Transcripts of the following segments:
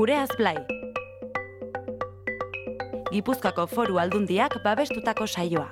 Gureaz Blai. Gipuzkoako Foru Aldundiak babestutako saioa.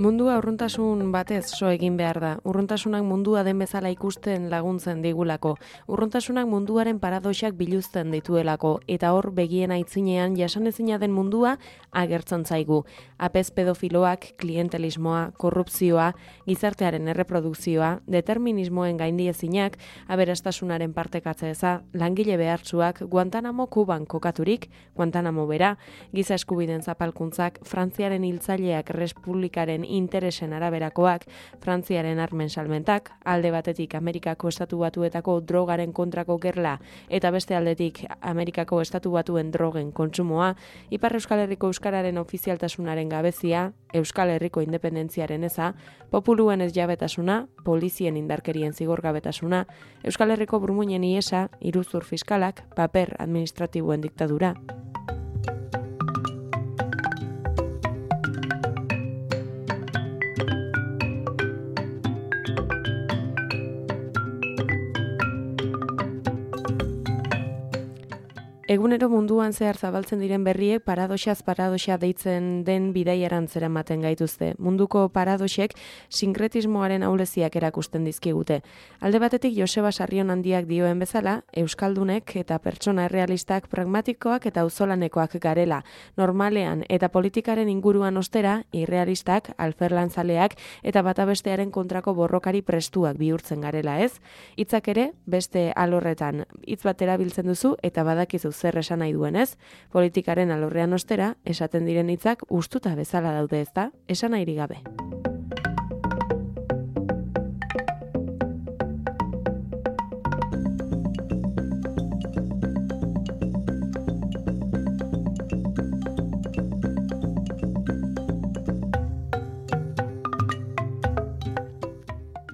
Mundua urruntasun batez so egin behar da. Urruntasunak mundua den bezala ikusten laguntzen digulako. Urruntasunak munduaren paradoxak biluzten dituelako. Eta hor begien aitzinean jasanezina den mundua agertzen zaigu. Apez pedofiloak, klientelismoa, korrupzioa, gizartearen erreprodukzioa, determinismoen gaindiezinak, aberastasunaren partekatze eza, langile behartsuak, Guantanamo Kuban kokaturik, Guantanamo bera, giza eskubideen zapalkuntzak, Frantziaren hiltzaileak Republikaren interesen araberakoak, Frantziaren armen salmentak, alde batetik Amerikako Estatu Batuetako drogaren kontrako gerla eta beste aldetik Amerikako Estatu Batuen drogen kontsumoa, Ipar Euskal Herriko euskararen ofizialtasunaren gabezia, Euskal Herriko independentziaren eza, populuen ez jabetasuna, polizien indarkerien zigorgabetasuna, Euskal Herriko burmuinen iesa, iruzur fiskalak, paper administratiboen diktadura. Egunero munduan zehar zabaltzen diren berriek paradoxaz paradoxa deitzen den bidaiaran zeramaten gaituzte. Munduko paradoxek sinkretismoaren ahuleziak erakusten dizkigute. Alde batetik Joseba Sarrionandiak dioen bezala, euskaldunek eta pertsona errealistak pragmatikoak eta auzolanekoak garela. Normalean eta politikaren inguruan ostera, irrealistak, alferlanzaleak eta bata bestearen kontrako borrokari prestuak bihurtzen garela, ez? Hitzak ere, beste alorretan hitz bat erabiltzen duzu eta badakizu zer esan nahi duenez, politikaren alorrean ostera, esaten diren hitzak hustuta bezala daude, ezta? Esan nahirik gabe.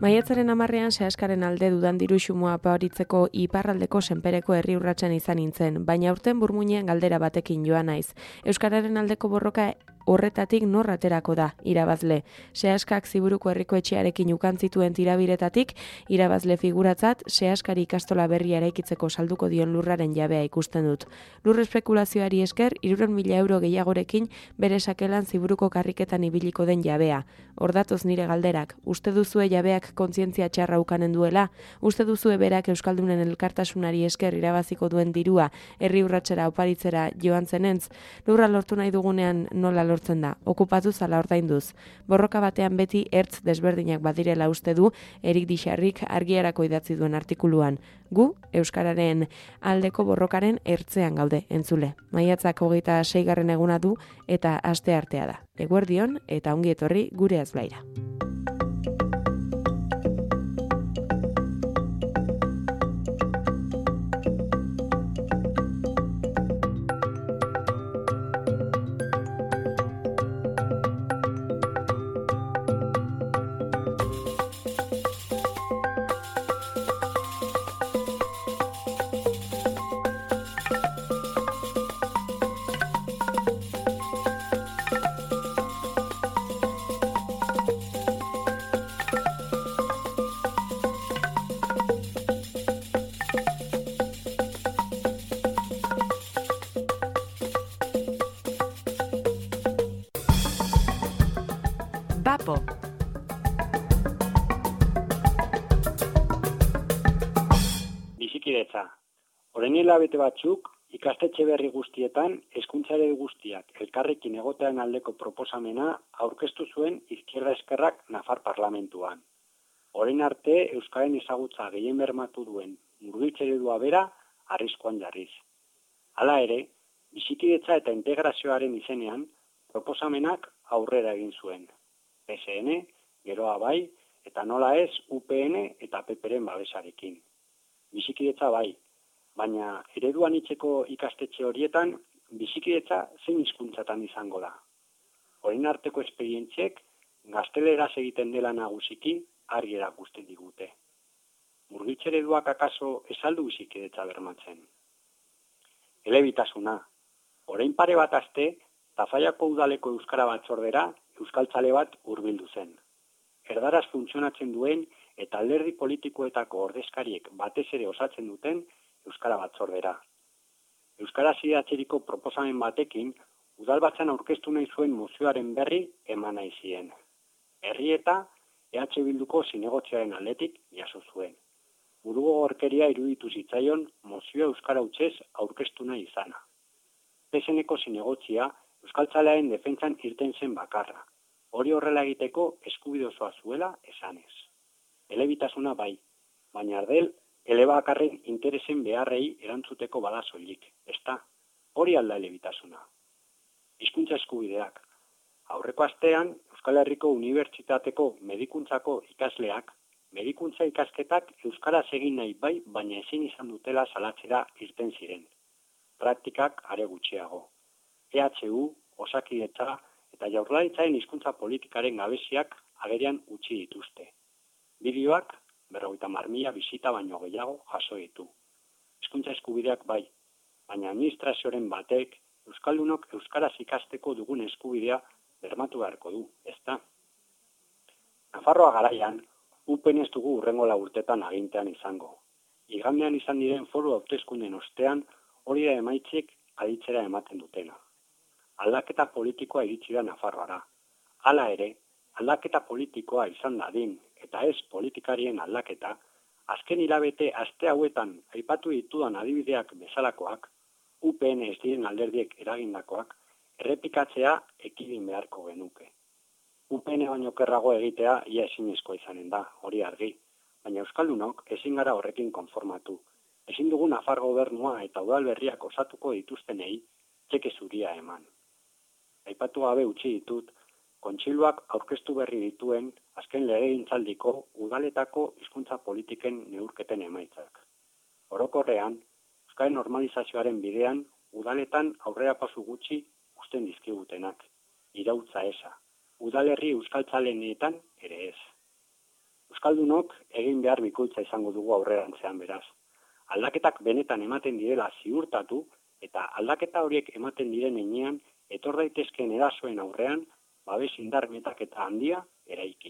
Maiatzaren 10ean sehaskaren alde dudan diru xumua aparitzeko iparraldeko senpereko herri urratsan izan nintzen, baina aurten burmuinean galdera batekin joan naiz. Euskararen aldeko borroka horretatik nor aterako da, irabazle. Sehaskak Ziburuko herriko etxearekin ukan zituen tirabiretatik, irabazle figuratzat, sehaskari ikastola berria eraikitzeko salduko dion lurraren jabea ikusten dut. Lur espekulazioari esker, 300.000 euro gehiagorekin bere sakelan Ziburuko karriketan ibiliko den jabea. Hordatoz nire galderak, uste duzue jabeak kontzientzia txarra ukanen duela? Uste duzue berak euskaldunen elkartasunari esker irabaziko duen dirua, herri urratsera oparitzera joan zenentz? Lurra lortu nahi dugunean nola lortzen da, okupatuz ala ordainduz. Borroka batean beti ertz desberdinak badirela uste du Erik Dixarrik argiarako idatzi duen artikuluan. Gu, euskararen aldeko borrokaren ertzean gaude, entzule. Maiatzak 26. eguna du eta asteartea da. Eguerdion eta ongi etorri Gureaz Blaira. Bapo. Bizikidetza. Orain hilabete batzuk, ikastetxe berri guztietan, hezkuntzare guztiak elkarrekin egotean aldeko proposamena aurkeztu zuen Izquierda Eskerrak Nafar parlamentuan. Orain arte, euskaren ezagutza gehien bermatu duen murgiltze eredua bera arriskuan jarriz. Hala ere, bizikidetza eta integrazioaren izenean, proposamenak aurrera egin zuen. PSN, geroa bai, eta nola ez UPN eta PPren babesarekin. Bizikidetza bai, baina ereduan itzeko ikastetxe horietan, bizikidetza zein hizkuntzatan izango da. Orain arteko esperientziek gazteleraz egiten dela nagusiki argi erakusten digute. Murgiltzereduak akaso esaldu bizikidetza bermatzen. Elebitasuna. Orain pare bat aste, Tafallako udaleko euskara batzordera euskaltzale bat hurbildu zen. Erdaraz funtzionatzen duen eta alderdi politikoetako ordezkariek batez ere osatzen duten euskara batzordera. Euskaraz idatziriko proposamen batekin, udalbatzan aurkeztu nahi zuen mozioaren berri eman nahi zien. Herri eta EH Bilduko zinegotziaren aldetik jaso zuen. Burugogorkeria iruditu zitzaion mozioa euskara hutsez aurkeztu nahi izana. PSNeko zinegotzia euskaltzalearen defentsan irten zen bakarra. Hori horrela egiteko eskubide osoa zuela esanez. Elebitasuna bai, baina ardel elebakarren interesen beharrei erantzuteko bada soilik, ezta? Hori alda elebitasuna. Hizkuntza eskubideak. Aurreko astean, Euskal Herriko Unibertsitateko medikuntzako ikasleak, medikuntza ikasketak euskaraz egin nahi bai, baina ezin izan dutela salatzera irten ziren. Praktikak are gutxiago. EHU, Osakidetza eta Jaurlaritzaren hizkuntza politikaren gabeziak agerian utzi dituzte. Bideoak 50.000 bisita baino gehiago jaso ditu. Hizkuntza eskubideak bai, baina administrazioaren batek euskaldunok euskaraz ikasteko dugun eskubidea bermatu beharko du, ezta? Nafarroa garaian, UPN ez dugu hurrengo 4 urtetan agintean izango. Igandean izan diren foru hauteskunden ostean hori da emaitzek aditzera ematen dutena. Aldaketa politikoa iritsi da Nafarroara. Hala ere, aldaketa politikoa izan dadin eta ez politikarien aldaketa, azken hilabete aste hauetan aipatu ditudan adibideak bezalakoak, UPN ez diren alderdiek eragindakoak, errepikatzea ekidin beharko genuke. UPN baino kerrago egitea ia ezinezkoa izanen da, hori argi, baina euskaldunok ezin gara horrekin konformatu. Ezin dugu Nafar gobernua eta udalberriak osatuko dituztenei txeke zuria eman. Aipatu gabe utzi ditut, Kontseiluak aurkeztu berri dituen azken legegintzaldiko udaletako hizkuntza politiken neurketen emaitzak. Orokorrean, euskaren normalizazioaren bidean udaletan aurrerapauso gutxi uzten dizkigutenak, iraultza eza. Udalerri euskaltzalenetan ere ez. Euskaldunok egin behar bikoitza izango dugu aurrerantzean beraz. Aldaketak benetan ematen direla ziurtatu eta aldaketa horiek ematen diren heinean etor daitezkeen erasoen aurrean babes indar metaketa handia eraiki.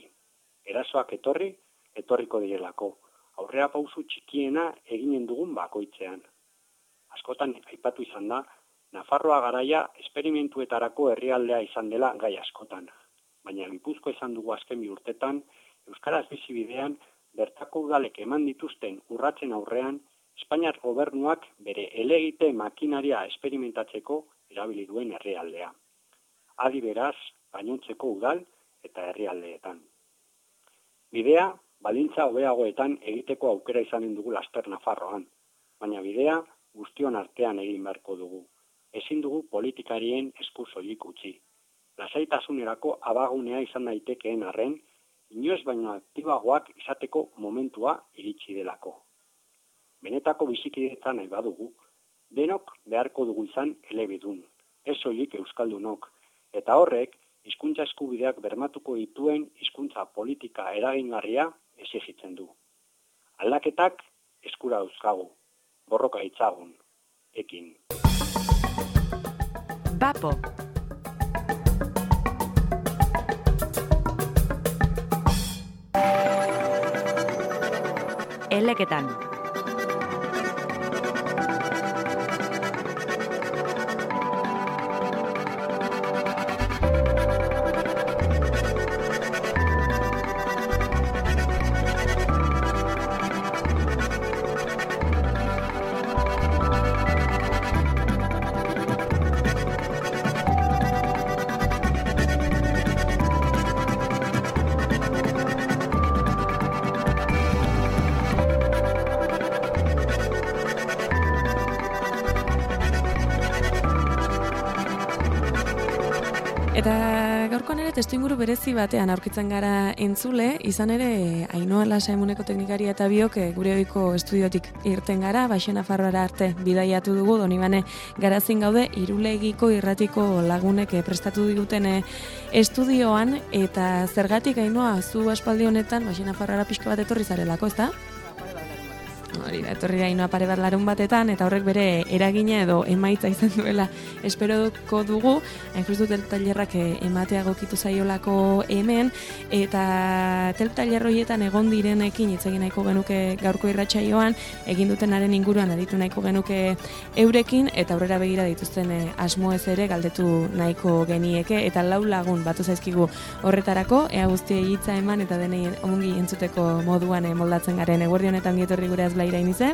Erasoak etorriko direlako. Aurrerapauso txikiena eginen dugun bakoitzean. Askotan aipatu izan da, Nafarroa garaia esperimentuetarako herrialdea izan dela gai askotan. Baina Gipuzkoa izan dugu azken 2 urtetan, euskaraz bizi bidean bertako udalek eman dituzten urratzen aurrean, Espainiar gobernuak bere elegite makinaria esperimentatzeko erabili duen herrialdea. Adi beraz, gainontzeko udal eta herrialdeetan. Bidea, baldintza hobeagoetan egiteko aukera izanen dugu laster Nafarroan, baina bidea guztion artean egin beharko dugu. Ezin dugu politikarien esku soilik utzi. Lasaitasunerako abagunea izan daitekeen arren, inoiz baino aktibagoak izateko momentua iritsi delako. Benetako bizikidetza nahi badugu, denok beharko dugu izan elebidun, ez soilik euskaldunok, eta horrek hizkuntza eskubideak bermatuko dituen hizkuntza politika eragingarria exijitzen du. Aldaketak eskura dauzkagu, borroka ditzagun, ekin. Bapo. Eleketan. Eta gaurkoan ere testuinguru berezi batean aurkitzen gara entzule, izan ere Ainhoa Lasaimuneko teknikaria eta biok gure ohiko estudiotik irten gara, Baixo Nafarroara arte bidaiatu dugu, Donibane Garazin gaude, Irulegiko irratiko lagunek prestatu diguten estudioan, eta zergatik Ainhoa, zu aspaldi honetan Baixo Nafarroara pixka bat etorri zarelako, ezta? Hori da, etorri da Ainhoa pare bat larun batetan, eta horrek bere eragina edo emaitza izan duela esperoko dugu, hain tailerrak ematea gokitu zaiolako hemen, eta tailer horietan egon direnekin hitz egin nahiko genuke gaurko irratsaioan, egin dutenaren inguruan aditu nahiko genuke eurekin, eta aurrera begira dituzten asmoez ere galdetu nahiko genieke, eta 4 lagun batu zaizkigu horretarako, ea guztiei hitza eman eta denei ongi entzuteko moduan moldatzen garen. Eguerdi honetan dietorri gure azblaira inize?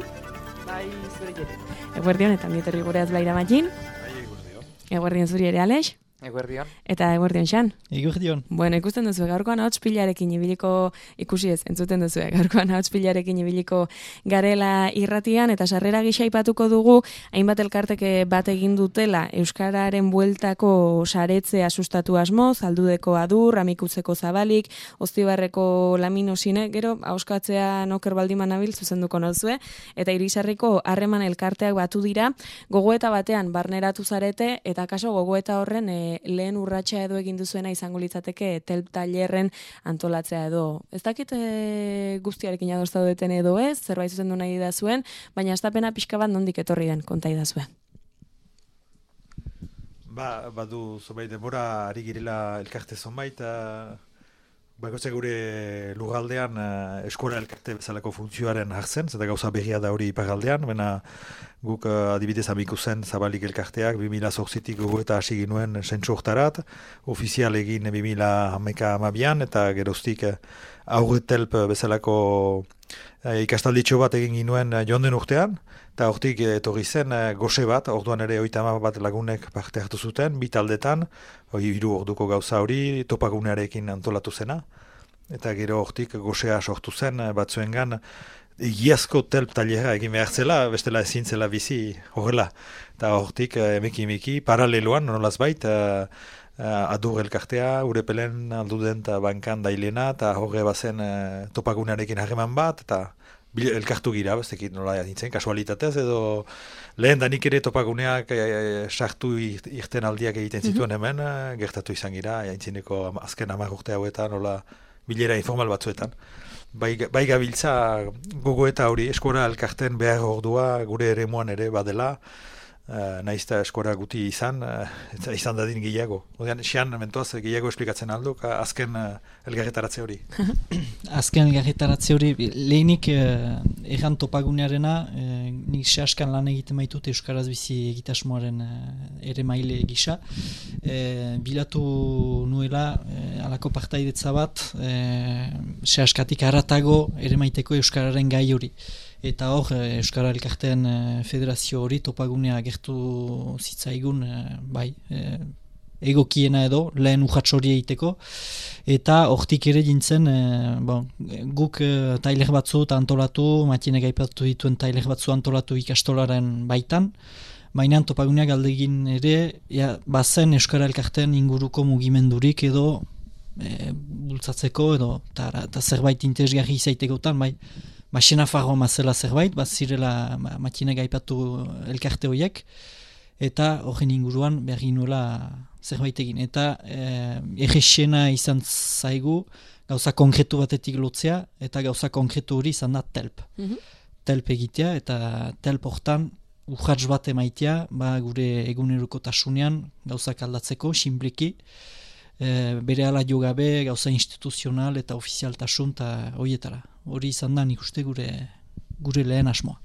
Bai, zure jere. Eguerdi honetan dietorri gure azblaira Matxin? Bai, eguerdion. Eguerdion zuri ere Alex? Eguerdion. Eta eguerdion Xan? Eguerdion. Bueno, ikusten duzu, gaurkoan ahots pilarekin ibiliko, ikusi ez, entzuten duzu, gaurkoan ahots pilarekin ibiliko garela irratian, eta sarrera gisa aipatuko dugu, hainbat elkarteke bat egin dutela, Euskararen bueltako saretzea sustatu asmo, Zaldudeko Adur, Amikutzeko Zabalik, Oztibarreko Laminosine, gero, ahoskatzea noker baldiman nabil, zuzenduko nozue, eta Irisarriko harreman elkarteak batu dira, gogoeta batean barneratu zarete, eta kaso gogoeta horren lehen urratsa edo egin duzuena izango litzateke telp tailerren antolatzea edo. Ez dakit guztiarekin ados zaudeten edo ez, zerbait zuzendu nahi da zuen, baina astapena pixka bat nondik etorri den konta idazue. Badu zonbait denbora ari girela elkarte zonbait, bakotxe gure lugaldean eskola elkarte bezalako funtzioaren hartzen, zeta gauza berria da hori iparaldean, baina guk adibidez Amikuzen Zabalik elkarteak 2008tik gogoeta hasi ginuen sentsu hortarat, ofizial egin 2012an, eta geroztik aurretelp bezalako ikastalditxo bat egin ginuen jonden urtean, eta hortik etorri zen gose bat, orduan ere 30 bat lagunek parte hartu zuten, 2 taldetan, 3 orduko gauza hori topagunearekin antolatu zena, eta gero hortik gosea sortu zen batzuengan egiazko telp tailera egin behar zela, bestela ezin zela bizi horrela, eta hortik emeki paraleloan nolaz bait, Adur elkartea, Urepelen alduden eta bankan dailena, eta horre bazen topagunearekin harreman bat, eta elkartu gira, bestekit nola nintzen, kasualitatez, edo lehen danik ere topaguneak sartu irten aldiak egiten zituen hemen, gertatu izan gira, jaintzineko azken 10 urte hauetan, nola bilera informal batzuetan. Bai gabiltza gogoeta hori, eskora elkarten behar ordua gure eremuan ere badela, naizta eskora guti izan dadin gehiago. Odean, Xian, mentoaz, gehiago esplikatzen alduk, azken elgarretaratze hori. Azken elgarretaratze hori, lehenik erran topagunearena, nik sehaskan lan egiten maitut Euskaraz bizi egitasmoaren ere maile gisa. Bilatu nuela, alako partaidetza bat, sehaskatik haratago ere maiteko Euskararen gai hori. Eta hor, Euskara Elkarteen federazio hori topagunea gertu zitzaigun, egokiena edo, lehen urratx hori egiteko. Eta hortik ere jintzen, guk tailer batzu antolatu, Matinek aipatu dituen tailer batzu antolatu ikastolaren baitan, baina topagunea galdegin ere, bazen Euskara Elkarteen inguruko mugimendurik edo bultzatzeko edo, eta zerbait interesgarri izaitekotan, Baxena farroa mazela zerbait, zirela Matinek aipatu elkarte horiek, eta horren inguruan behar ginuela zerbait egin. Eta errexena izan zaigu gauza konkretu batetik lotzea, eta gauza konkretu hori izan da telp. Telp egitea, eta telp hortan urratx bat emaitea, gure egunerokotasunean gauzak aldatzeko, sinpliki, bere ala jo gabe, gauza instituzional eta ofizialtasun eta horietara. Hori izan da nik uste gure lehen asmoa.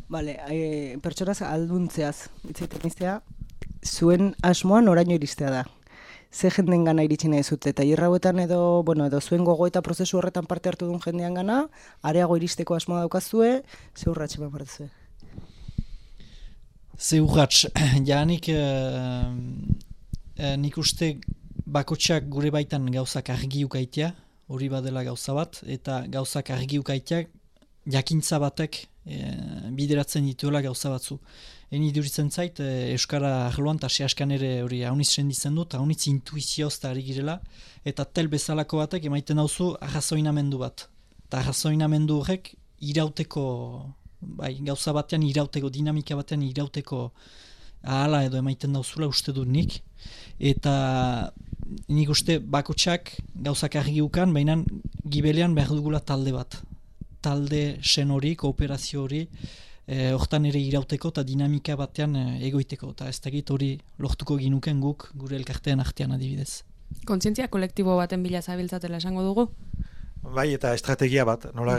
Bale, pertsonaz alduntzeaz, itzaiten iztea, zuen asmoa noraino iristea da. Ze jenden gana iritsi nahi zute, eta hauetan edo zuen gogoeta prozesu horretan parte hartu duen jendean gana, areago iristeko asmoa daukazue, ze urratxe eman bartzue? Ze urratx, nik uste bakotxak gure baitan gauzak argi ukaitea, hori badela gauza bat, eta gauzak argi ukaitea jakintza batek bideratzen dituela gauza batzu. Eni duritzen zait, Euskara arloan eta sehaskan ere hori haunitz senditzen du, eta haunitz intuizioz eta ari girela, eta tel bezalako batek emaiten dauzu arrazoinamendu bat. Eta arrazoinamendu horrek irauteko, gauza batean irauteko, dinamika batean irauteko ahala edo emaiten dauzula uste dut nik, eta nik uste bakotxak gauzak argi ukan, baina gibelean behar dugula talde bat. talde sen hori, kooperazio hori, hortan ere irauteko eta dinamika batean egoiteko. Eta ez dakit hori lortuko ginuken guk gure elkarteen artean adibidez. Kontzientzia kolektibo baten bila zabiltzatela esango dugu? Bai, eta estrategia bat, nola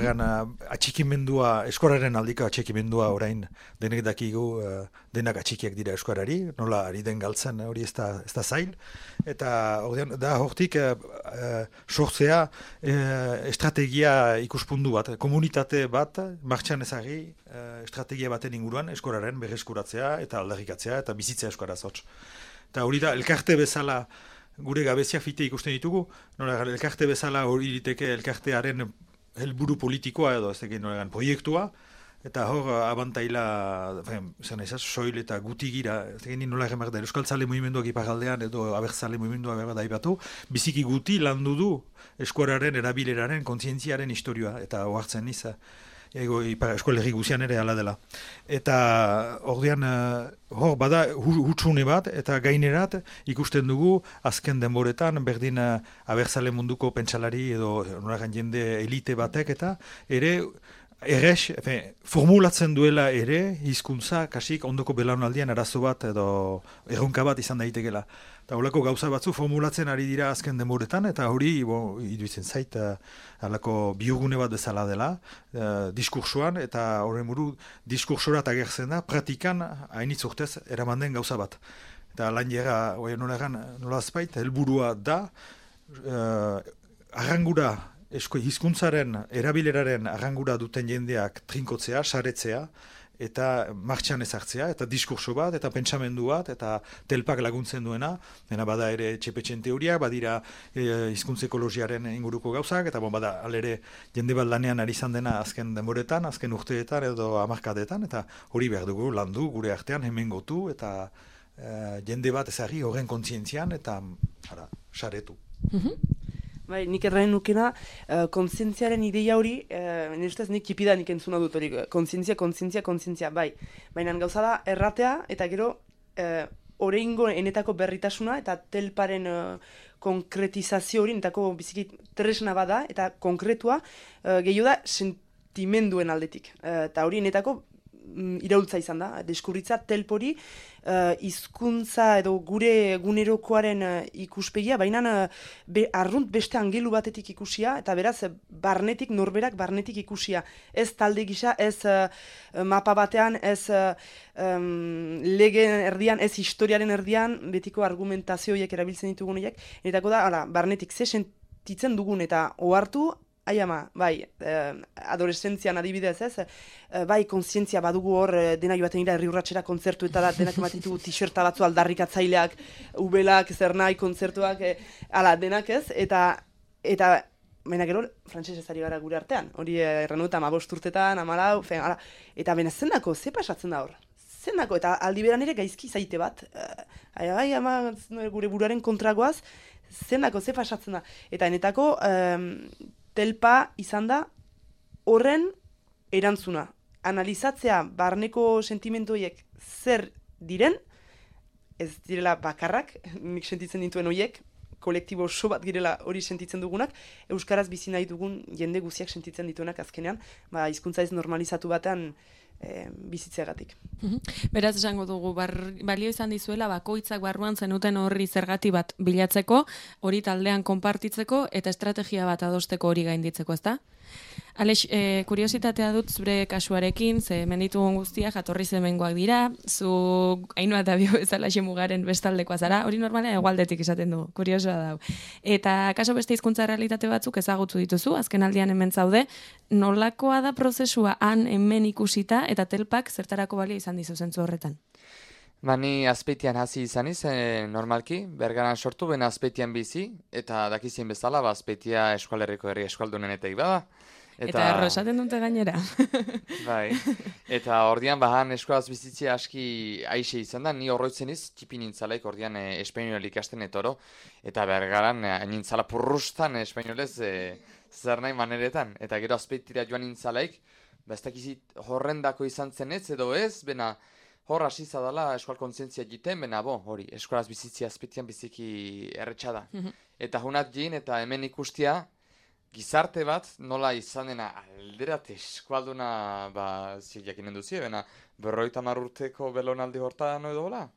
atxikimendua, eskoraren aldiko atxikimendua orain denek dakigu, denak atxikiak dira eskorari, nola ari den galtzen hori ez da zail, eta da hortik sortzea estrategia ikuspundu bat, komunitate bat, martxan ezagri estrategia baten inguruan eskoraren berreskuratzea eta aldarrikatzea eta bizitzea eskoraz hotz. Eta hori da, elkarte bezala gure gabeziak fite ikusten ditugu, elkarte bezala hori diteke elkartearen helburu politikoa edo ez egin proiektua, eta hor abantaila, soil eta guti gira, ez egin nola egemak da, Euskal Zale Mugimenduak iparaldean edo Abertzale Mugimendua berda daibatu, biziki guti landu du eskuararen erabileraren kontzientziaren historioa, eta ohartzen niz, eskolerri guzian ere ala dela. Eta ordean, hor bada hutsune bat, eta gainerat ikusten dugu azken denboretan, berdin abertzale munduko pentsalari edo noragan jende elite batek, eta ere formulatzen duela ere hizkuntza kasik ondoko belaunaldian arazo bat edo erronka bat izan daitekela. Eta holako gauza batzu formulatzen ari dira azken denboretan, eta hori iruditzen zait halako biogune bat bezala dela diskursoan, eta horren buru diskursorat agertzen da praktikan hainitz urtez eraman den gauza bat. Eta lan jera, nola azpait, helburua da arrangura hizkuntzaren erabileraren arrangura duten jendeak trinkotzea, saretzea, eta martxan ezartzea, eta diskurso bat, eta pentsamendu bat, eta telpak laguntzen duena, dena bada ere txepetxen teoria, badira hizkuntza ekologiaren inguruko gauzak, eta bada alere jende bat lanean ari izan dena azken denboretan, azken urteetan edo hamarkadetan, eta hori behar dugu landu gure artean hemen gotu, eta jende bat ezagri horren kontzientzian, eta saretu. Bai, nik erraen nukena, kontzientziaren ideia hori, nire ustez nik kipida nik entzuna dut hori, kontzientzia, bai. Baina gauza da erratea, eta gero, oreingo enetako berritasuna, eta telparen konkretizazio hori, enetako biziki tresna bada, eta konkretua, gehiago da sentimenduen aldetik. Eta hori enetako iraultza izan da, deskurritza telpori hizkuntza edo gure egunerokoaren ikuspegia, baina arrunt beste angelu batetik ikusia, eta beraz norberak barnetik ikusia. Ez talde gisa, ez mapa batean, ez legeen erdian, ez historiaren erdian, betiko argumentazioiek erabiltzen ditugun horiek, eta da, barnetik ze sentitzen dugun eta ohartu, bai, adolescentzian adibidez ez, bai, kontzientzia badugu hor, dena joaten ira herri urratxera kontzertu eta da, denak ematen ditugu t-shirta batzu aldarrikatzaileak, ubelak, zer nahi, kontzertuak, denak ez, eta baina gero, frantsesez ari gara gure artean, hori errenu eta 15 urtetan, 14, eta baina zendako, ze pasatzen da hor? Zendako, eta aldi beran ere gaizki zaite bat, gure buruaren kontragoaz, zendako, ze pasatzen da, eta enetako, telpa izan da horren erantzuna. Analizatzea barneko sentimentoiek zer diren, ez direla bakarrak, nik sentitzen dituen horiek, kolektibo oso bat girela hori sentitzen dugunak, euskaraz bizi nahi dugun jende guziak sentitzen dituenak azkenean, hizkuntza ez normalizatu batean bizitzeagatik. Beraz esango dugu, balio izan dizuela bakoitzak barruan zenuten horri zergati bat bilatzeko, hori taldean konpartitzeko eta estrategia bat adosteko hori gainditzeko, ezta? Alex, kuriositatea dut zure kasuarekin, ze menditugun guztiak jatorri zemengoak dira, zu Ainhoa eta Bio bezala xemugaren bestaldekoa zara, hori normalean hegoaldetik esaten du, kuriosoa da. Eta kaso beste hizkuntza realitate batzuk ezagutu dituzu, azken aldian hemen zaude, nolakoa da prozesua han hemen ikusita eta telpak zertarako balio izan dizu zentzu horretan? Ni Azpeitian hasi izaniz, normalki, Bergaran sortu, bena Azpeitian bizi, eta dakizien bezala, Azpeitia eskualerriko herri eskualdunenetek bada. Eta errosaten dute gainera. Bai, eta ordian bahan eskolaz bizitzia aski aixe izan da, ni horroitzen iz, tipi nintzalaik ordian espainol ikasten etoro, eta Bergaran nintzala purrustan espainolez zer nahi maneretan, eta gero Azpeitira joan nintzalaik, ez dakizit horrendako izan zen ez edo ez, bena hor hasi zadala eskual kontzientzia egiten, bena hori, eskolaz bizitzia Azpeitian biziki erretxada. Eta hunat jin eta hemen ikustia, gizarte bat nola izan dena alderat eskualduna jakinen duzie, bena 50 urteko belonaldi hortan edo hola?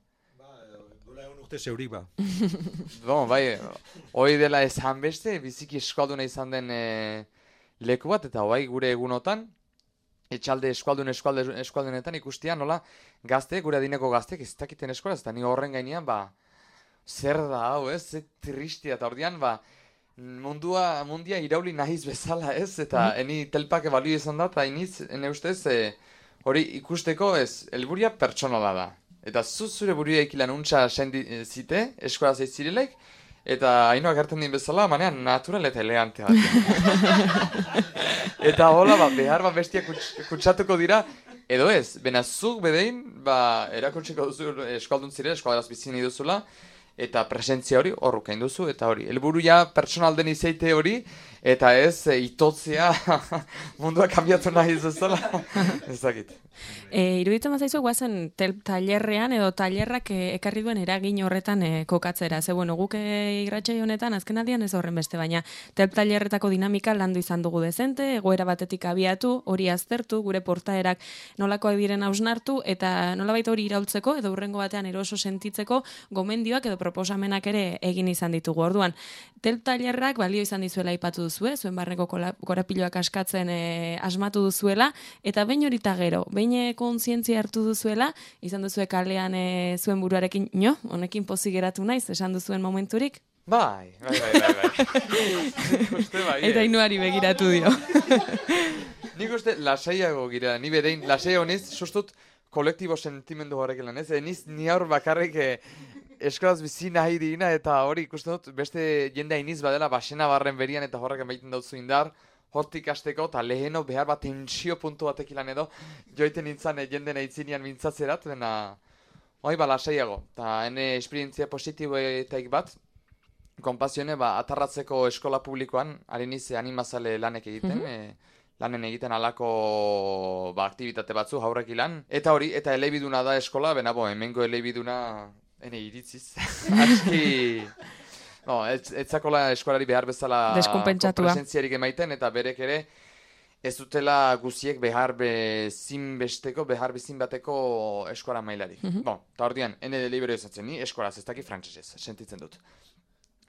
Dola egun urte zeurik ba. Bon, bai, hoi dela esan beste, biziki eskualduna izan den leku bat, eta bai gure egunotan, etxalde eskualdunetan ikustia nola gazte, gure adineko gaztek ez dakiten eskolaz, eta ni horren gainean, zer da hau, ez, ze tristia, eta ordean, mundia irauli nahiz bezala, ez, eta eni telpake balio izan da, eta iniz, ene ustez, hori ikusteko ez, helburia pertsonala da. Eta zure buruia ikilan untxa zite, eskola zeitzirelek, eta hainoak hartzen din bezala, manean natural eta elegante bat. Eta hola, behar bestiak kutsatuko dira, edo ez, bena zuk bedein, erakutsiko duzu eskaldun zire, eskaldaraz bizini duzula, eta presentzia hori horrukain duzu, eta hori, helburuia pertsonal den izaite hori, eta ez itotzea mundua kambiatu nahi zezala, ez dakit. Iruditzen bazaizu guazen tailerrean edo tailerrak ekarri duen eragin horretan kokatzera. Ze bueno, guk irratsaio honetan azkenaldian ez horren beste, baina tailerretako dinamika landu izan dugu dezente, egoera batetik abiatu, hori aztertu, gure portaerak nolakoak diren hausnartu, eta nolabait hori iraultzeko edo hurrengo batean eroso sentitzeko gomendioak edo proposamenak ere egin izan ditugu. Orduan, tailerrak balio izan dizuela aipatu duzue, zuen barneko korapiloak askatzen asmatu duzuela, eta behin horita gero, behin kontzientzia hartu duzuela, izan duzue kalean zuen buruarekin, honekin pozik geratu naiz, esan duzuen momenturik? Bai. Eta Inuari begiratu dio. Nik uste lasaiago gira, ni berein, lasaiago niz, sustut kolektibo sentimendu horrek lan, ez? Niz ni aur bakarrik eskolaz bizi nahi digina, eta hori ikusten dut beste jendea iniz badela basena barren berian eta horrek emaiten dautzu indar, hortik hasteko, eta leheno behar bat tensio puntu batek ilan edo, joiten nintzen jenden eitzinean mintzatzerat, dena, lasaiago. Eta hene esperientzia positiboetaik bat, konpazione, atarratzeko eskola publikoan, hariniz animazale lanek egiten, lanen egiten alako aktivitate batzu haurrek ilan. Eta hori, eta elebiduna da eskola, hemengo elebiduna, hene iritziz, aski... etzakola eskolari behar bezala presentziarik emaiten, eta berek ere ez dutela guziek behar bezin bateko eskola mailarik. Eta ordean, ene libero izatzen ni, eskolaz ez daki frantsesez, sentitzen dut.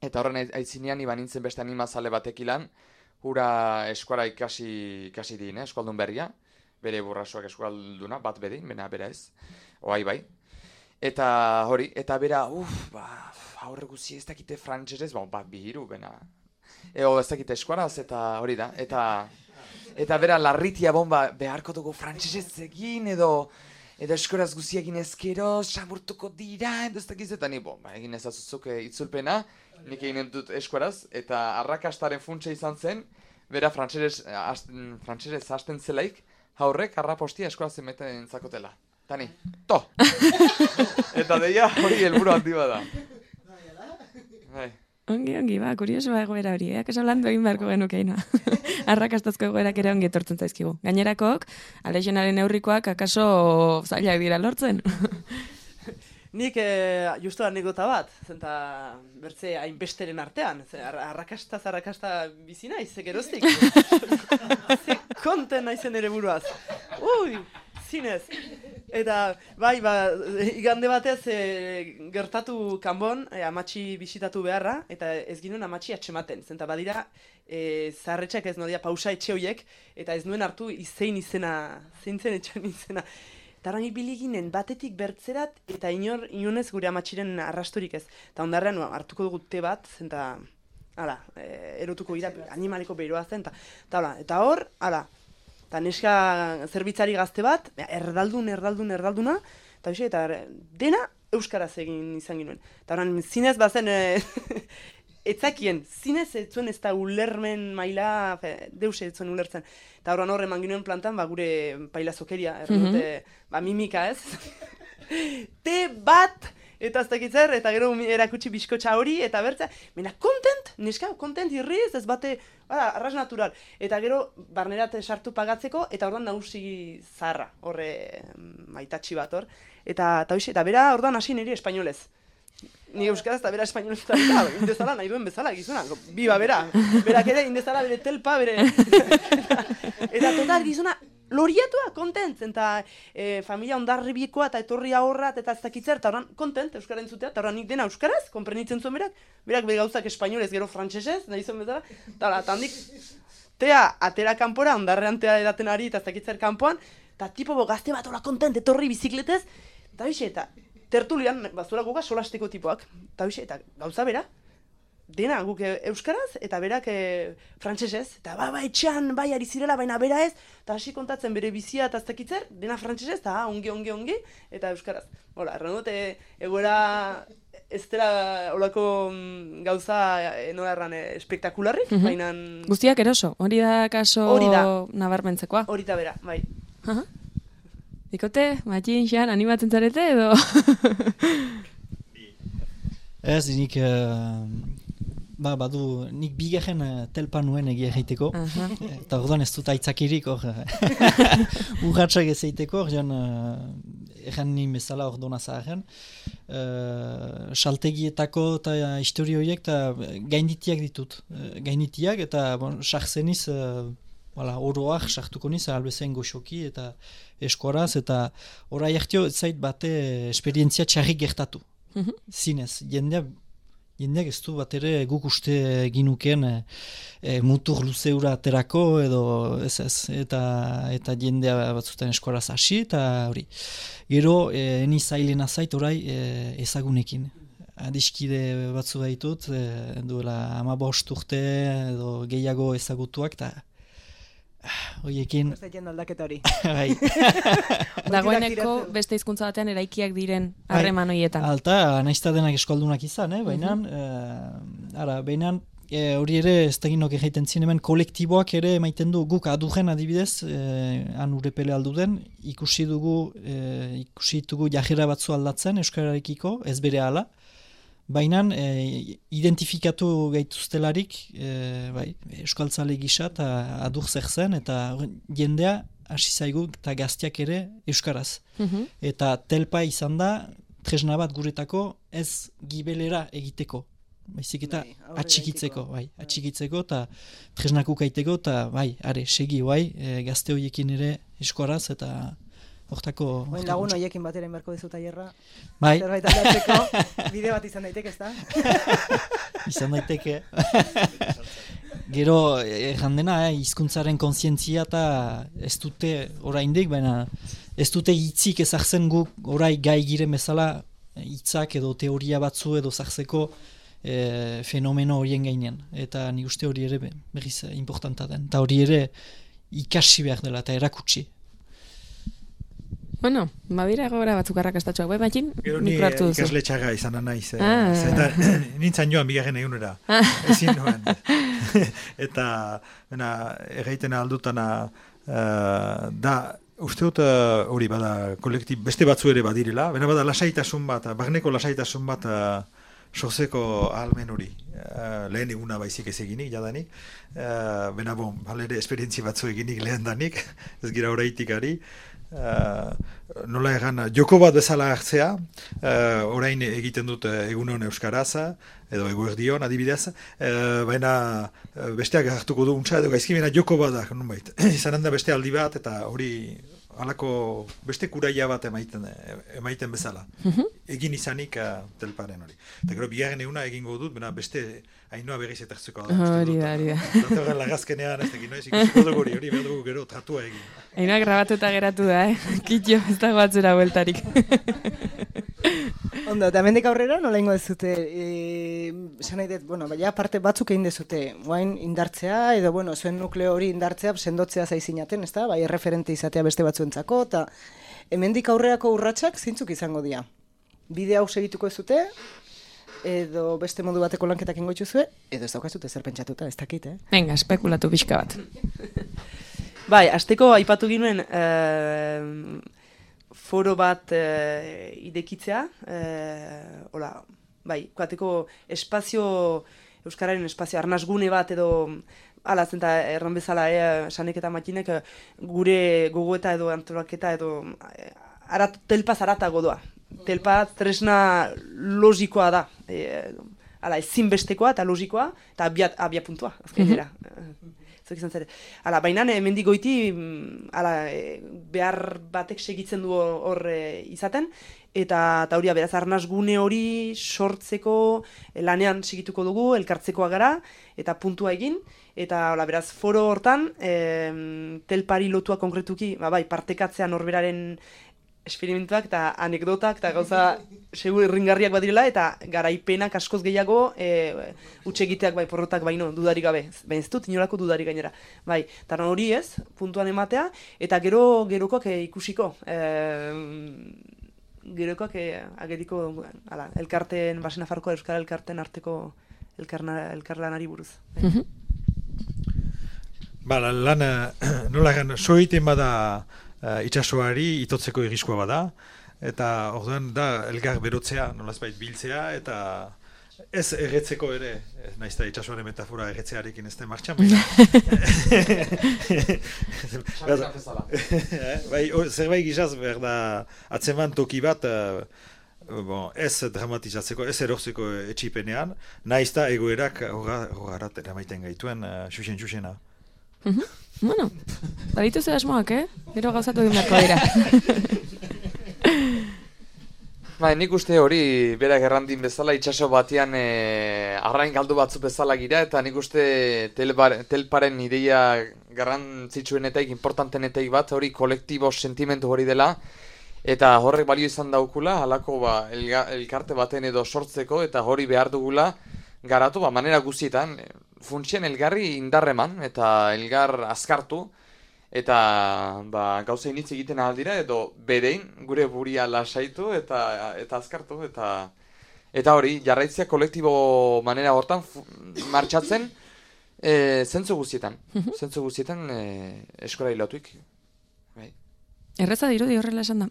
Eta horren aitzinean iban nintzen beste animazale batekilan, hura eskola ikasi din, eskualdun berria, bere burrasoak eskualduna, bat bedin, bera ez, oai bai. Eta hori, eta bera, aurre guzi ez dakite frantsesez, bihiru, bena. Ez dakite eskuaraz, eta hori da. Eta bera larritia beharko dugu frantsesez egin, edo eskuaraz guzi egin ezkero, samurtuko dira, edo ez dakiz, eta ni, egin ezazuzuk itzulpena, nik egin dut eskuaraz, eta arrakastaren funtsa izan zen, bera frantsesez hasten zelaik, haurrek arrapostia eskuaraz emeten zakotela. Tani, to! Eta deia hori helburu handi bada. Ongi, kuriosoa egoera hori, kaso landu egin beharko genukeina. Arrakastazko egoerak ere ongi etortzen zaizkigu. Gainerakok, Alexionaren neurrikoak akaso zailak dira lortzen. Nik justu anekdota bat, zenta bertze hainbesteren artean, arrakasta bizi naiz, ze geroztik. Ze konten naizen ere buruaz. Zinez. Eta, igande batez gertatu kanbon, amatxi bisitatu beharra, eta ez ginuen amatxi atxematen. Zenta badira, zaharretxak ez nodia pausa etxe hoiek, eta ez nuen hartu zeintzen etxean izena. Eta horren ibili ginen batetik bertzerat, eta inonez gure amatxiren arrasturik ez. Eta ondarrean hartuko dugu te bat, zenta, erotuko gira, animaliko behiroa zen, eta hor, eta neska zerbitzari gazte bat, erdalduna, eta dena euskaraz egin izan ginoen. Eta horren, zinez bazen, etzakien, zinez etzuen ez da ulermen maila, deus etzuen ulertzen. Eta horren eman ginoen plantan, gure pailazokeria, erdote, mimika ez. Te bat! Eta ez dakitzer, eta gero erakutsi bizkotxa hori, eta bertzea, kontent, neska, kontent irriz, ez bate, arras natural. Eta gero, barnerat sartu pagatzeko, eta orduan nagusi zaharra, horre maitatxi bat hor. Eta bera, orduan hasi niri espainolez. Ni euskaraz eta bera espainolez eta indezala nahi duen bezala, gizuna. Biba, berak ere indezala bere telpa, bere... eta total, gizuna, loriatua, kontent, eta familia ondarribiekoa eta etorri ahorrat eta ez dakitzer, eta horan kontent euskara entzutea, eta horan nik dena euskaraz, konprenitzen zuen berak be gauzak espainolez, gero frantsesez, nahi zuen bezala, eta handik, atera kanpora, ondarrean tea edaten ari, eta ez dakitzer kanpoan, eta tipo gazte bat hola kontent, etorri bizikletez, eta bixe, eta tertulian, bazura guga solasteko tipoak, eta bixe, eta gauza bera, dena guk euskaraz, eta berak frantsesez, eta etxean, ari zirela, baina bera ez, eta hasi kontatzen bere bizia eta ez dakitzer, dena frantsesez, eta ongi, eta euskaraz. Hola, erran dut, egoera ez dela olako gauza, nola erran, espektakularrik, baina... Guztiak eroso, hori da kaso nabarmentzekoa. Hori da bera, bai. Ikote, Matxin, Xan, animatzen zarete edo? Ez, nik... badu, nik bigarren telpa nuen egia egiteko, eta orduan ez dut aitzakirik hor urratxak ez egiteko, erran ni bezala orduan azaren, saltegietako eta historio horiek eta gainditiak ditut, eta sartzeniz, oroak sartuko niz, albezen goxoki eta eskoraz, eta orai hartio zait bate esperientzia txarrik gertatu, zinez, jendeak ez du bat ere guk uste ginuken mutur luzeura aterako edo ez, eta jendea batzutan eskoraz hasi eta hori. Gero, eni zailena zait orai ezagunekin. Adiskide batzu baitut, duela 15 urte edo gehiago ezagutuak eta horiekin... Zaiten aldaketa hori. Dagoeneko beste hizkuntza batean eraikiak diren harreman horietan. Alta, naizta denak eskoldunak izan, baina hori ere ez daginok egiten zien hemen kolektiboak ere emaiten du guk adugen adibidez, han urepele alduden, ikusi ditugu jajera batzu aldatzen euskararekiko, ez bere hala, baina identifikatu gaituztelarik euskaltzale gisa eta adur zer zen, eta jendea hasi zaigu eta gaztiak ere euskaraz. Eta telpa izan da, tresna bat guretako ez gibelera egiteko. Baizik eta atxikitzeko eta tresnakuk aiteko, eta segi gazte horiekin ere euskaraz eta hortako... Lagun horiekin batera inberko dizu tailerra. Zerbait aldatzeko bide bat izan daiteke, ez da? Izan daiteke. Gero, jandena, hizkuntzaren kontzientzia eta ez dute oraindik, baina ez dute hitzik ezartzen guk orai gai giren bezala hitzak edo teoria batzu edo zartzeko fenomeno horien gainean. Eta nik uste hori ere berriz importanta den. Eta hori ere ikasi behar dela eta erakutsi. Bueno, badira gora batzuk arrakastatxoak, Matxin? Gero ni ikasle txaga izan naiz. Nintzen joan bigarren egunera. Ezin nuen. Eta, erraiten aldutana, da, uste dut hori bada kolektib, beste batzu ere badirela, bada lasaitasun bat, barneko lasaitasun bat sortzeko ahalmen hori. Lehen eguna baizik ez eginik, jadanik. Halere esperientzi batzu eginik lehen danik, ez gira horreitik ari. Nola egan, joko bat bezala hartzea, orain egiten dut egunon euskaraza, edo eguerdion adibidez, baina besteak hartuko du untsa edo gaizki, baina joko bat da, nonbait. Izanen da beste aldi bat, eta hori halako beste kuraia bat emaiten bezala. Egin izanik telparen hori. Eta gero bigarren eguna egingo dut, baina beste hainua berriz etertzeko da. Hori da. Datorren lagazkenean ez egin, ikusiko dugu hori behar dugu gero tratua egin. Hainua grabatu eta geratu da, Kitxo, ez dago atzera bueltarik. Ondo, eta hemendik aurrera nola ingo dezute, esan nahi dut, parte batzuk egin dezute, guain indartzea, edo, zuen nukleo hori indartzea, sendotzea zaizinaten, ez da, erreferente izatea beste batzuentzako, eta hemendik aurreako urratsak zeintzuk izango dira. Bide hau segituko ez dute, edo beste modu bateko lanketak ingo itxuzue, edo ez daukazute zer pentsatuta, ez dakit, Venga, espekulatu pixka bat. Azteko aipatu ginuen foro bat idekitzea, kuateko espazio, euskararen espazio, arnazgune bat edo, ala zenta erran bezala, Sanek eta Matxinek gure gogoeta edo antolaketa edo telpaz aratago doa. telpa tresna logikoa da. Hala, ezinbestekoa eta logikoa, eta abia puntua, azkainera. Hala, baina hemendik goiti behar batek segitzen du hor izaten, eta hori beraz arnaz gune hori sortzeko lanean segituko dugu, elkartzekoa gara, eta puntua egin, eta beraz foro hortan, telpari lotua konkretuki, bai, partekatzea norberaren esperimentuak eta anekdotak eta gauza segur irringarriak badirela eta garaipenak askoz gehiago hutsegiteak bai porrotak baino dudarik gabe. Baina ez dut inolako dudarik gainera. Bai, eta hori ez, puntuan ematea eta gerokoak ikusiko. Gerokoak ageriko elkarteen, Basen Nafarroako Euskal Elkarteen arteko elkarlanari buruz. Lan nola gan, soiten bada itsasoari itotzeko irriskoa bada, eta orduan da elgar berotzea, nolazbait biltzea, eta ez erretzeko ere, nahiz da itsasoaren metafora erretzearekin ez da martxan, zerbait gizaz behar da atzeman toki bat, ez dramatizatzeko, ez erortzeko etxipenean, nahiz da egoerak hogarat eramaiten gaituen xuxen-xuxena. Bueno, baditu ze asmoak, Gero gauzatu egin beharko dira. Nik uste hori berak errandin bezala itsaso batean arrain galdu batzu bezala gira, eta nik uste telparen ideia garrantzitsuenetaik, importantenetaik bat, hori kolektibo sentimentu hori dela, eta horrek balio izan daukula, halako elkarte baten edo sortzeko, eta hori behar dugula garatu, manera guztietan, funtsien elgarri indarreman, eta elgar azkartu, eta gauza initz egiten aldira, edo berein gure buria lasaitu, eta azkartu, eta hori, jarraitzea kolektibo manera hortan martxatzen, zentzu guztietan, eskola hilatuik. Erreza dirudi horrela esan da.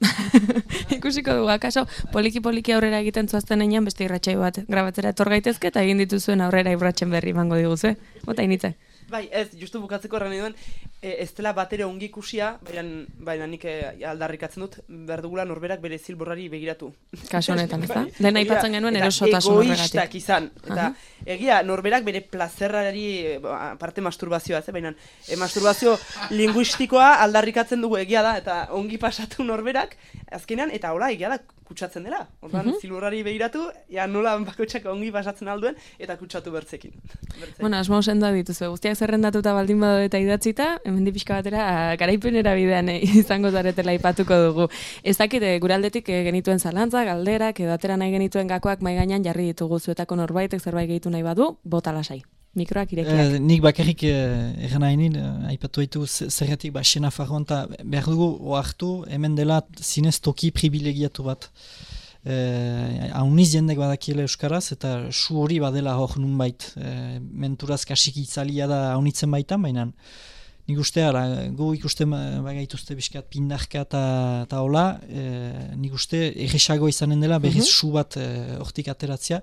Ikusiko dugu, akaso poliki-poliki aurrera egiten zuazten enean beste irratxai bat grabatzera etor gaitezke eta egin dituzuen aurrera irratxen berri mango diguz, Bota initze. Bai, ez, justu bukatzeko erran duen, ez dela batere ongi ikusia, baina nik aldarrikatzen dut, behar dugula norberak bere zilborrari begiratu. Kaso honetan, ez da? Dena aipatzen genuen erosotasun horregatik. Eta egoistak izan, eta egia norberak bere plazerrari, parte masturbazioa, baina masturbazio linguistikoa aldarrikatzen dugu egia da, eta ongi pasatu norberak, azkenean, eta hola, egia da, kutsatzen dela. Orduan, zilborrari begiratu, nola bakotxak ongi pasatzen alduen, eta kutsatu bertzekin. Bueno, asmo sendoak dituzu. Guztiak zerrendatuta baldin badu eta idatzita, hemendik pixka batera garaipenera bidean izango zaretela aipatuko dugu. Ez dakite, gure aldetik genituen zalantzak, galderak, edo atera nahi genituen gakoak mai gainean jarri ditugu zuetako norbaitek zerbait gehitu nahi badu, bota lasai. Mikroak irekiak. Nik bakarrik egan hainin, aipatu ditugu zergatik Basen Nafarroan, eta behar dugu oartu hemen dela zinez toki privilegiatu bat. Hauniz jendek badakiela euskaraz, eta su hori badela hor nunbait. Menturaz kasik itzalia da haunitzen baitan, baina nik uste, gu ikusten bagaituzte biskat pindarka eta hola, nik uste erresago izanen dela berriz su bat hortik ateratzea,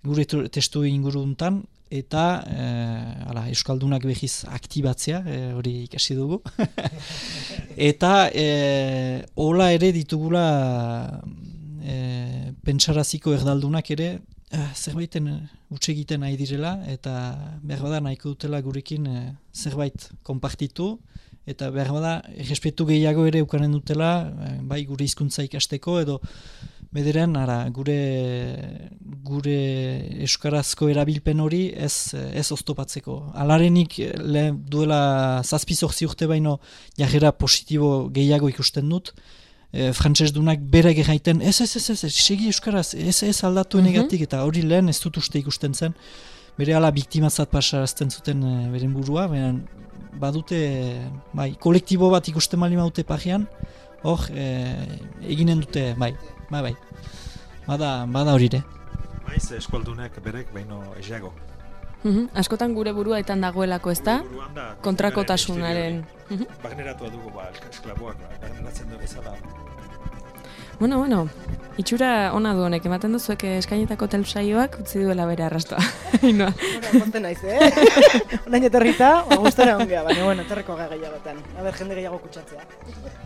gure testu inguruntan, eta euskaldunak behiz aktibatzea, hori ikasi dugu. Eta hola ere ditugula pentsaraziko erdaldunak ere zerbaiten utxe egiten nahi direla, eta behar bada nahiko dutela gurekin zerbait konpartitu, eta behar bada errespetu gehiago ere ukanen dutela, bai gure hizkuntza ikasteko, edo bederen, gure euskarazko erabilpen hori ez oztopatzeko. Alarenik duela 7-8 urte baino jarrera positibo gehiago ikusten dut, frantsesdunak bere gerraiten, ez, segi euskaraz, ez aldatu enegatik, eta hori lehen ez dut uste ikusten zen, bere ala biktimatzat pasarazten zuten beren burua, badute, kolektibo bat ikusten mali maute pajean, hor, eginen dute, bai. Bada hori ere. Maiz eskualdunek berek baino esago. Askotan gure burua etan dagoelako, ez da? Kontrakotasunaren. Barneratua dugu, esklaboak, barneratzen du bezala. Bueno, Itxura ona du honek, ematen duzuek eskainetako telsaioak utzi duela bere arrastoa. Inoa. Pozten naiz, Onain etorrita, gustora ongea, baina, etorreko gehiagotan. Jende gehiago kutsatzea.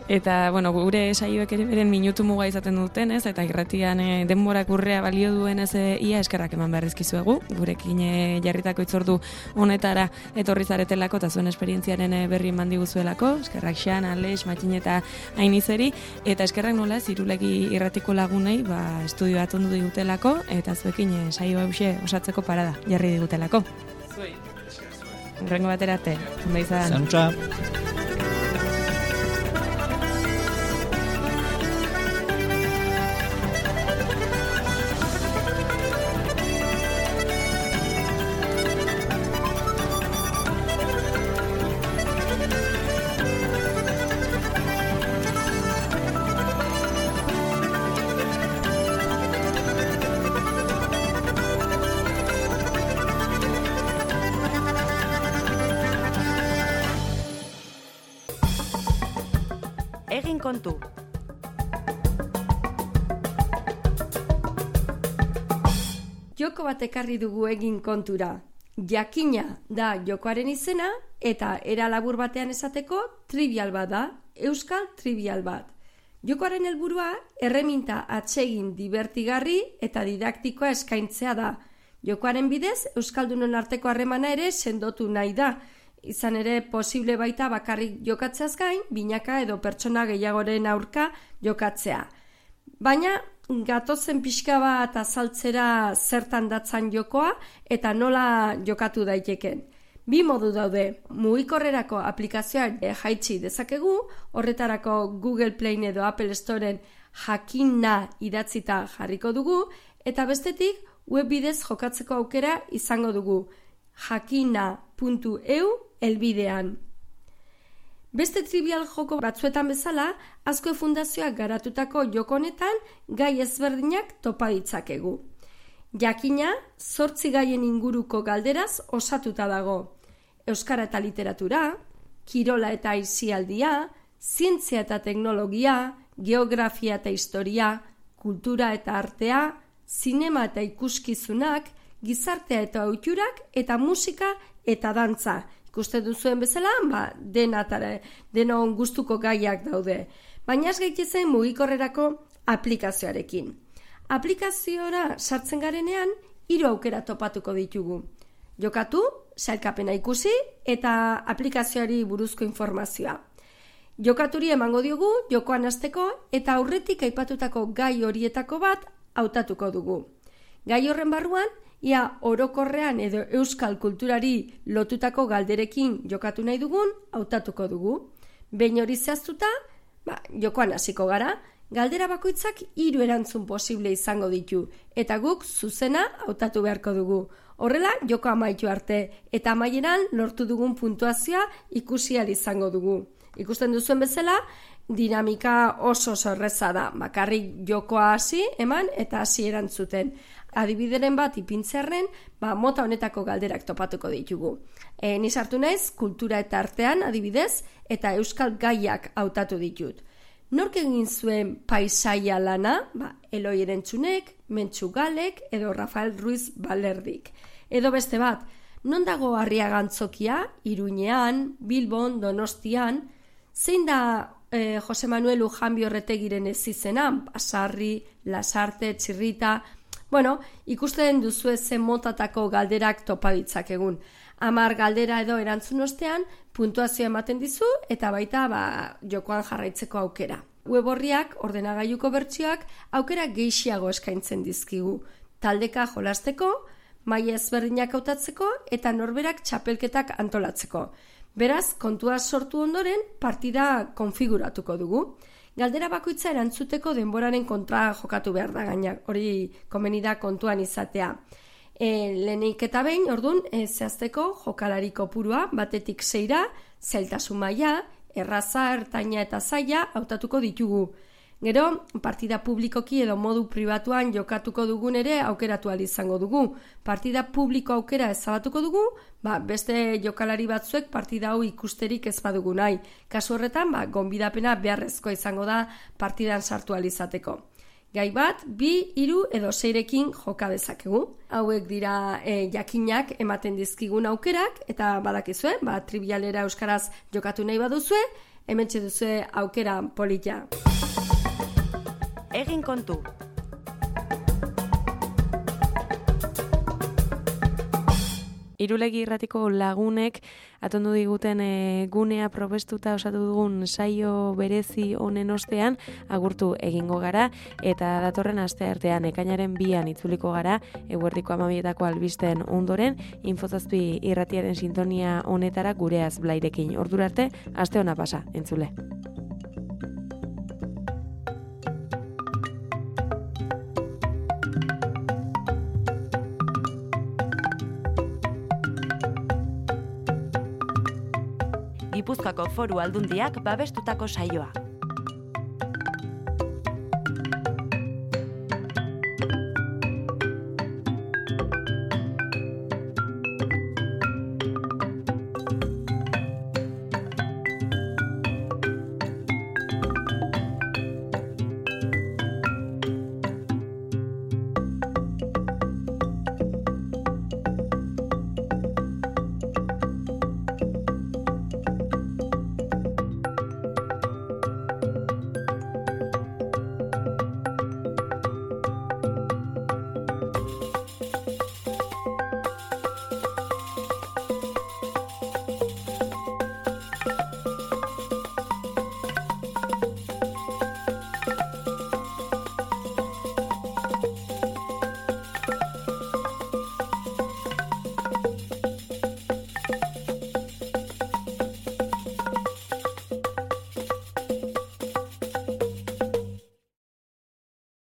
Eta, gure saioek ere beren minutu muga izaten duten, ez? Eta irratian denborak urrea balio duen ez ia eskerrak eman beharrizkizuegu. Gurekin jarritako itzordu honetara etorri zaretelako eta zuen esperientziaren berri eman diguzuelako. Eskerrak Xan, Alex, Matxin eta Ainizeri. Eta eskerrak nola, Irulegi irratiko lagunei, estudio bat ondu digutelako, eta zuekin saio hauxe osatzeko parada jarri digutelako. Zuei. Horrengo batera arte. Ondo izan. Zantza. Egin kontu. Joko bat ekarri dugu egin kontura. Jakina da jokoaren izena eta era labur batean esateko trivial bat da, euskal trivial bat. Jokoaren helburua erreminta atsegin dibertigarri eta didaktikoa eskaintzea da. Jokoaren bidez euskaldunon arteko harremana ere sendotu nahi da. Izan ere posible baita bakarrik jokatzeaz gain, binaka edo pertsona gehiagoren aurka jokatzea. Baina gatozen pixka bat azaltzera zertan datzan jokoa eta nola jokatu daiteken. Bi modu daude, mugikorrerako aplikazioa jaitsi dezakegu, horretarako Google Play edo Apple Storeen jakina idatzita jarriko dugu, eta bestetik web bidez jokatzeko aukera izango dugu, jakina.eu helbidean. Beste trivial joko batzuetan bezala, Azkue Fundazioak garatutako joko honetan gai ezberdinak topa ditzakegu. Jakina 8 gaien inguruko galderaz osatuta dago. Euskara eta literatura, kirola eta aisialdia, zientzia eta teknologia, geografia eta historia, kultura eta artea, zinema eta ikuskizunak, gizartea eta ohiturak eta musika eta dantza. Ikuste duzuen bezala, denon gustuko gaiak daude. Baina ez gaitezen mugikorrerako aplikazioarekin. Aplikaziora sartzen garenean, 3 aukera topatuko ditugu. Jokatu, sailkapena ikusi eta aplikazioari buruzko informazioa. Jokaturi emango diogu, jokoan hasteko eta aurretik aipatutako gai horietako bat hautatuko dugu. Gai horren barruan, ia orokorrean edo euskal kulturari lotutako galderekin jokatu nahi dugun, hautatuko dugu. Behin hori zehaztuta, jokoan hasiko gara, galdera bakoitzak 3 erantzun posible izango ditu, eta guk zuzena hautatu beharko dugu. Horrela, joko amaitu arte, eta amaieran lortu dugun puntuazioa ikusi ahal izango dugu. Ikusten duzuen bezala, dinamika oso erraza da, bakarrik jokoa hasi eman eta hasi erantzuten. Adibideren bat ipintzearren, mota honetako galderak topatuko ditugu. Ni sartu naiz, kultura eta artean adibidez, eta euskal gaiak hautatu ditut. Nork egin zuen paisaia lana? Eloi Erentzunek, Mentxu Galek edo Rafael Ruiz Balerdik. Edo beste bat, non dago Arriaga Antzokia, Iruñean, Bilbon, Donostian, zein da Jose Manuel Ujanbi Orretegiren ezizenan, Basarri, Lasarte, Txirrita. Ikusten duzu zen motatako galderak topa ditzakegun. 10 galdera edo erantzun ostean, puntuazioa ematen dizu eta baita jokoan jarraitzeko aukera. Web horriak, ordenagailuko bertsioak, aukera gehiago eskaintzen dizkigu. Taldeka jolasteko, maila ezberdinak hautatzeko eta norberak txapelketak antolatzeko. Beraz, kontua sortu ondoren, partida konfiguratuko dugu. Galdera bakoitza erantzuteko denboraren kontra jokatu behar da gainak, hori komeni da kontuan izatea. Lehenik eta behin, ordun, zehazteko jokalari kopurua batetik 6ra, zailtasun maila, erraza, ertaina eta zaila hautatuko ditugu. Gero, partida publikoki edo modu pribatuan jokatuko dugun ere aukeratu ahal izango dugu. Partida publiko aukera ezabatuko dugu, beste jokalari batzuek partida hau ikusterik ez badugu nahi. Kasu horretan, gonbidapena beharrezkoa izango da partidan sartu ahal izateko. Gai bat, 2, 3 edo 6rekin joka dezakegu. Hauek dira jakinak ematen dizkigun aukerak, eta badakizue, trivialera euskaraz jokatu nahi baduzue, hementxe duzue aukera polita. Egin kontu. Irulegi irratiko lagunek atondu diguten gunea probestuta osatu dugun saio berezi honen ostean agurtu egingo gara, eta datorren asteartean ekainaren 2an itzuliko gara eguerdiko 12etako albisten ondoren Infozazpi irratiaren sintonia honetara gureaz Blairekin. Ordura arte, aste ona pasa, entzule. Gipuzkoako Foru Aldundiak babestutako saioa.